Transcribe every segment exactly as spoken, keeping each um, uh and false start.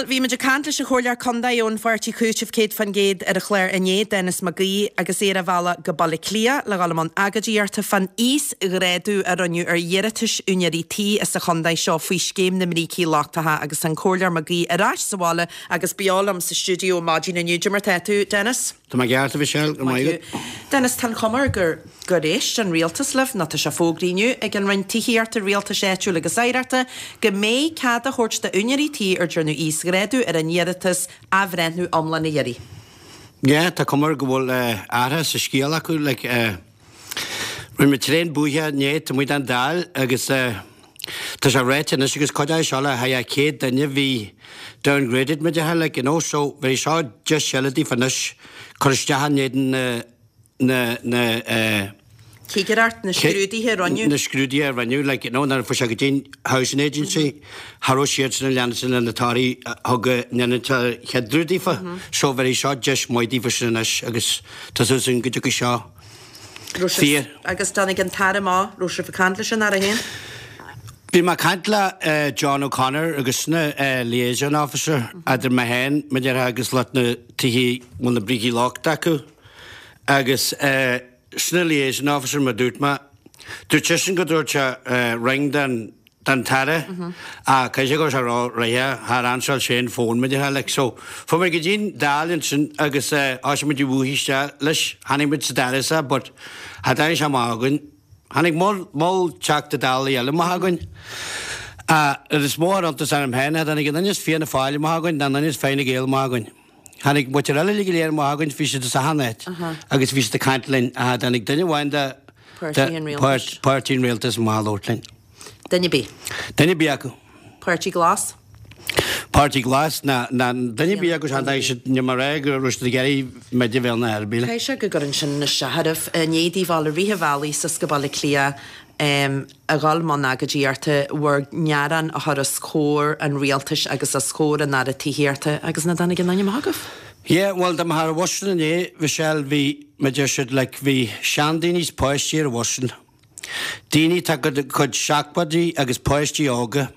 bhí muid ag caint leis an Chomhairleoir Contae ón Pháirtí Cúiteamh céad faoin gcéad ar an chlár inné, Denis Mac Aoidh, agus é ar a bhealach go Baile Átha Cliath le dhul i mbun agóidíochta fán íosghrádú a rinneadh ar iarratais úinéirí tí sa chontae seo faoi scéim na mbrící lochtacha agus an Comhairleoir Mac Aoidh ar ais sa bhaile agus beo liom sa stiúideo maidin inniu. Cad é mar tá tú, Denis? Tá mé ceart, a Mhichelle, go maith agat. Denis, tá an chuma air gur gur éist an rialtas libh, nó tá sé fógraithe inniu ag an Roinn Tithíochta, Rialtais Áitiúil agus Oidhreachta go mbeidh cead á thabhairt d'úinéirí tí ar dearnadh íosghrádú ar a n-iarratas athbhreithniú iomlán a iarraidh. Yeah, tá cuma air go bhfuil athrú sa scéal acu, like, rinne muid tréan buaithe inné taobh amuigh den Dáil agus tá sé ráite anois agus cuid de seo le haghaidh céad duine bhí downgraded mar a déarfá, like, you know, so bhí seo deis eile daofa anois cur isteach in éadan na na na eh Cigireacht, na scrúduithe a rinneadh. na scrúduithe a rinneadh, like, you know, nuair a fuair sé go dtí'n Housing Agency, cha raibh siadsan ag leanacht le na torthaí a thug a ndéanann chéad rud daofa. So bheir seo deis maith daofa sin anois agus tá súil againn go dtiocfaidh seo Raibh sibh, fíor. agus tháinig an tAire amach, raibh sibh ag caint leis an Aire féin? Bhí mé ag caint le John O'Connor agus sin an liaison officer idir mé féin, mar a déarfá, agus lucht na tithe bhfuil na brící lochtacha acu agus sin an liaison officer mar dúirt mé. Dúirt seisean go dtabharfadh sé ring don don tAire ach caithfidh sé go raibh sé ró-réidh, char ansáil sé an fón mar a déarfá like so fuair muid go dtí'n Dáil ansin agus thosaigh muid ag bhuachaidh isteach leis, tháinig muid sa dara sa but cha dtáinig sé amach againn. Tháinig moll Teachta Dála eile amach againn. Rud is mó a chuir iontas orm féin, cha dtáinig aon duine as Fianna Fáil amach againn ná aon duine as Fine Gael amach againn. Tháinig muintir eile uilig go léir amach againn, bhí siad as achan áit agus bhí siad ag caint linn ach cha dtáinig duine amháin de Páirtí an Rialtais. Páirtí an Rialtais amach a labhairt linn. Duine ar bith. Duine ar bith acu. Páirtí Glas? Páirtí Glas ná ná duine ar bith acu chan dtáinig siad, níl mé ag rá go raibh siad ag iarraidh muid a bheith ina ar bith. Caithfidh sé go gcuireann sin isteach oraibh. I ndiaidh daoibh dul i rith an bhealaigh suas go Baile Átha Cliath a dhul i mbun agóidíochta, bhur ngearán a chur os comhair an rialtais agus os comhair an Aire Tithíochta agus nach dtáinig aon duine amach chugaibh? Yeah, bhuel dá mbeifeá ar an bhus sin inné, Michelle, bhí, mar a deir siad, like, bhí seandaoine is páistí ar an bhus sin. Daoine atá ina gcuid seachtóidí agus páistí óga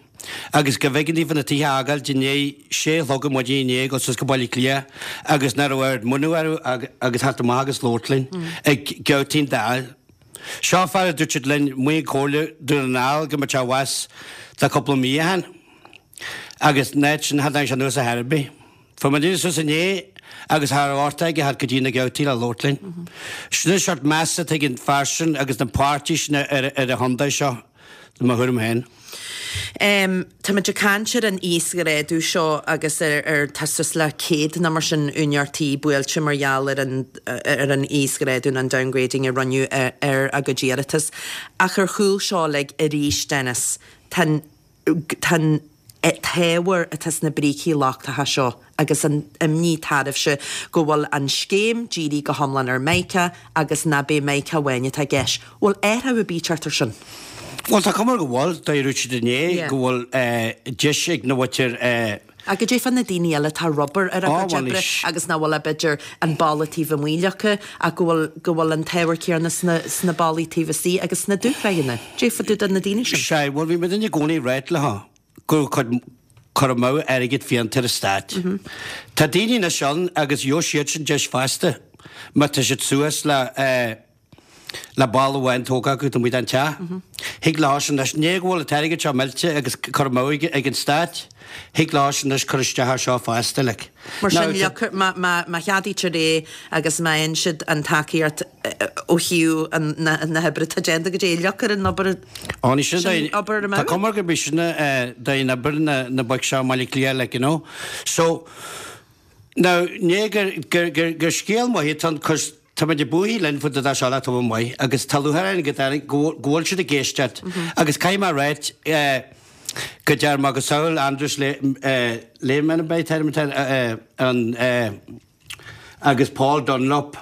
agus go mb'éigean daofa na tithe a fhágáilt i ndiaidh sé a chlog ar maidin inné ag dul suas go Baile Átha Cliath agus nach raibh oiread muinín orthu agus theacht amach agus labhairt linn ag geaftaí an Dáil. Seo fear a dúirt siad linn amuigh i gComhairle Dún na nGall go mbeadh sé abhus le cúpla mí ó shin agus an áit sin cha dtáinig sé anuas ar chor ar bith. Fuair muid suas inné agus cha raibh uchtach aige theacht go dtí na geaftaí le labhairt linn. Sin an seort meas atá ag an fear sin agus na páirtí sin ar an chontae seo, i mo thuairim féin. Táimid ag caint ar an íosghrádú seo agus ar ar tá suas le céad nó mar sin úinéir tí buailte mar gheall ar an ar an íosghrádú nó an downgrading a rinneadh ar a gcuid iarratas. Ach ar chúl seo uilig arís, Denis, tá an Tá an t-ábhar atá sna brící lochtacha seo agus an imní atá oraibhse go bhfuil an scéim dírithe go hiomlán ar Mheiceá agus nach b'é Meiriceá amháin atá i gceist. Bhfuil athrú ar bith teacht ar sin? Bhuel, tá cuma air go bhfuil. Dúirt siad inné go bhfuil deis ag na mhuintir. Ach goidé fá na daoine eile atá ag obair ar a gcuid oibre agus nach bhfuil ach b'fhéidir an balla taobh amuigh leagtha ach go bhfuil go bhfuil an t-ábhar céanna sna sna ballaí taobh istigh agus sna dúshraitheanna. Goidé fá dtaobh de na daoine sin. Sea, bhuel bhí muid i gcónaí ag ráit leo go raibh cur amú airgid fiánta ar an stát. Tá daoine anois ann agus gheobhaidh siad sin deis feasta má tá siad suas le le balla amháin tógtha acu taobh amuigh den teach. Thig leo sin anois, ní go bhfuil an t-airgead seo millte agus cur amú ag an stát, thig leo sin anois cur isteach air seo feasta, like. Mar sin, má, má, má cheadaítear é agus má fhaigheann siad an tacaíocht ó thaobh na, na hoibre atá déanta go dtí, leagfar an obair Ó, ní sin sin obair amú. Tá cuma gurb í sin dóigh oibre na, na boic seo i mBaile Átha Cliath, like, you know. So, now, ní gur, gur, gur, gur scéal maith atá ann 'cause Tá muid ag buachaidh linn fá dtaobh de seo le tamall maith agus tá lúcháir orainn go dtáinig, go bhfuil siad ag éisteacht agus caithfidh mé a ráit go deir macasamhail Andris Lehmann ab é an agus Paul Dunlop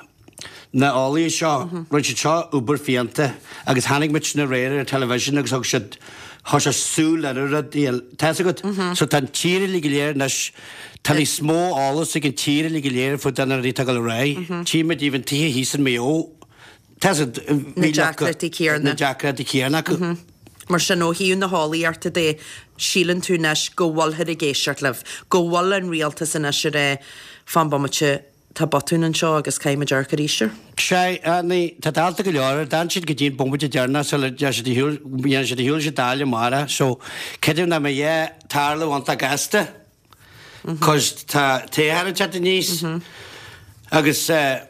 na eolaithe seo, rinne siad seo obair fiánta agus chonaic muid sin aréir ar an television agus thug siad Chuir sé súil ar an rud, tá fhios agat. So tá an tír uilig go léir anois, tá níos mó eolas ag an tír uilig go léir faoi na rudaí atá ag dul ar aghaidh. Tchí muid even tithe thíos in Maigh Eo, tá fhios agat, Na deacrachtaí céanna. Na deacrachtaí céanna acu. Mar sin, ó thaobh na heolaíochta de, síleann tú anois go bhfuilthear ag éisteacht libh, go bhfuil an rialtas anois ag rá, fan bomaite, tá botún anseo agus caithfidh muid amharc arís air. Sea, ní, tá dálta go leor air, d'fhan siad go dtí an bomaite deireanach sula dtéann siad ar shiúl, dhéanann siad ar shiúl sa Dáil amárach, so creidim nach mbeidh a tarlú iontach gasta, cos tá toghchán ag teacht aníos agus eh,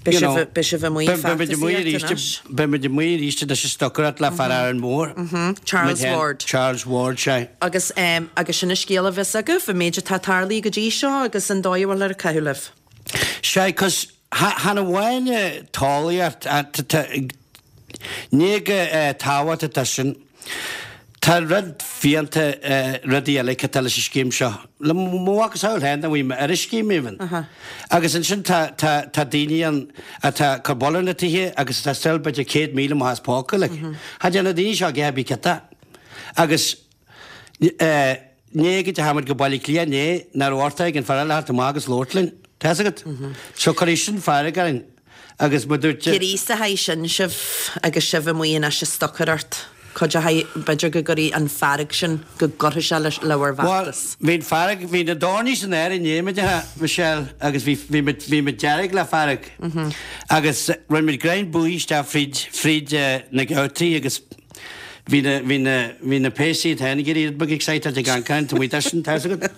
Beidh sibh, beidh sibh amuigh feachtasaíocht anois. Beidh muid amuigh arís anois ag stocaireacht le fear Árainn Mhór. Charles Ward. Charles Ward, sea. Agus, agus sin an scéal a bheas agaibh, an méid atá tarlaithe go dtí seo agus an dóigh a bhfuil ar caitheamh libh. Sea, cos chan amháin talmhaíocht, ní go tábhacht atá sin. Tá rud fiánta rudaí eile atá leis an scéim seo. Le mo mhacasamhail féin a bhí mé ar an scéim even. Agus ansin tá tá tá daoine ann atá ag cur buille ar na tithe agus atá still b'fhéidir céad míle amach as póca like. Cha dtéann na daoine seo ag ithe bí ciota. Agus eh ní go dteachaigh muid go Baile Átha Cliath inné nach raibh orthu ag an fear eile theacht amach agus labhairt linn. Tá fhios agat? So cuirfidh sin fearg orainn. Agus mar dúirt. Gríosóidh sin sibh agus sibh amuigh anois ag stocaireacht. Cuideoidh, b'fhéidir go gcuirfidh an fearg sin, go gcuirfidh sé le bhur Bhuel, bhfeachtas. bhí an fearg, bhí na doirní san aer inné, mar a déarfá, Michelle, agus bhí, bhí muid, bhí muid dearg le fearg. Agus rinne muid greim buí isteach fríd, fríd na geaftaí agus Bhí na, bhí na, bhí na péasaí iad féin ag éirí rud beag excited ag an gcaint amuigh de sin, tá fhios agat.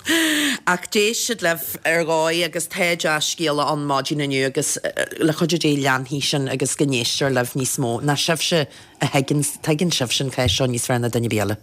Ach d'éist siad libh ar dhóigh agus tá dea-scéala ann maidin inniu agus le cuidiú Dé leanfaidh sin agus go n-éistear libh níos mó ná sibhse a thuigeann, tuigeann sibhse an cás seo níos fearr ná duine ar bith eile.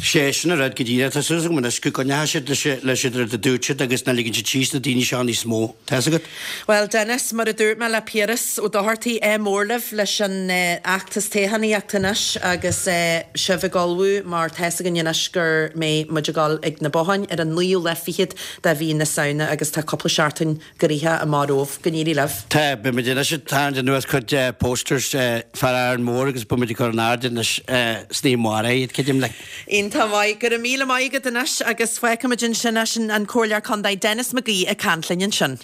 Sé sin an rud go díreach. Tá súil agam anois go gcoinneoidh siad leis, leis an rud a dúirt siad agus nach ligeann siad síos na daoine seo níos mó. Tá fhios agat. Bhuel, Denis, mar a dúirt mé le Piaras Ó Dochartaigh, ádh mór libh leis an fheachtas toghchánaíochta anois agus sibh ag ullmhú mar tá fhios againn anois go mbeidh muid ag dul ag na botháin ar an naoú lá fichead de mhí na Samhna agus tá cúpla seachtain gnoitheach amach romhaibh. Go n-éirí libh. Tá, beidh muid anois ag tarraingt anuas cuid posters fear Árainn Mhór agus beidh muid ag cur in airde anois san oíche amárach iad, creidim like. Iontach maith. Go raibh míle maith agat anois agus fágfaimid ansin é, sin an Comhairleoir Contae Denis McGee ag caint linn ansin.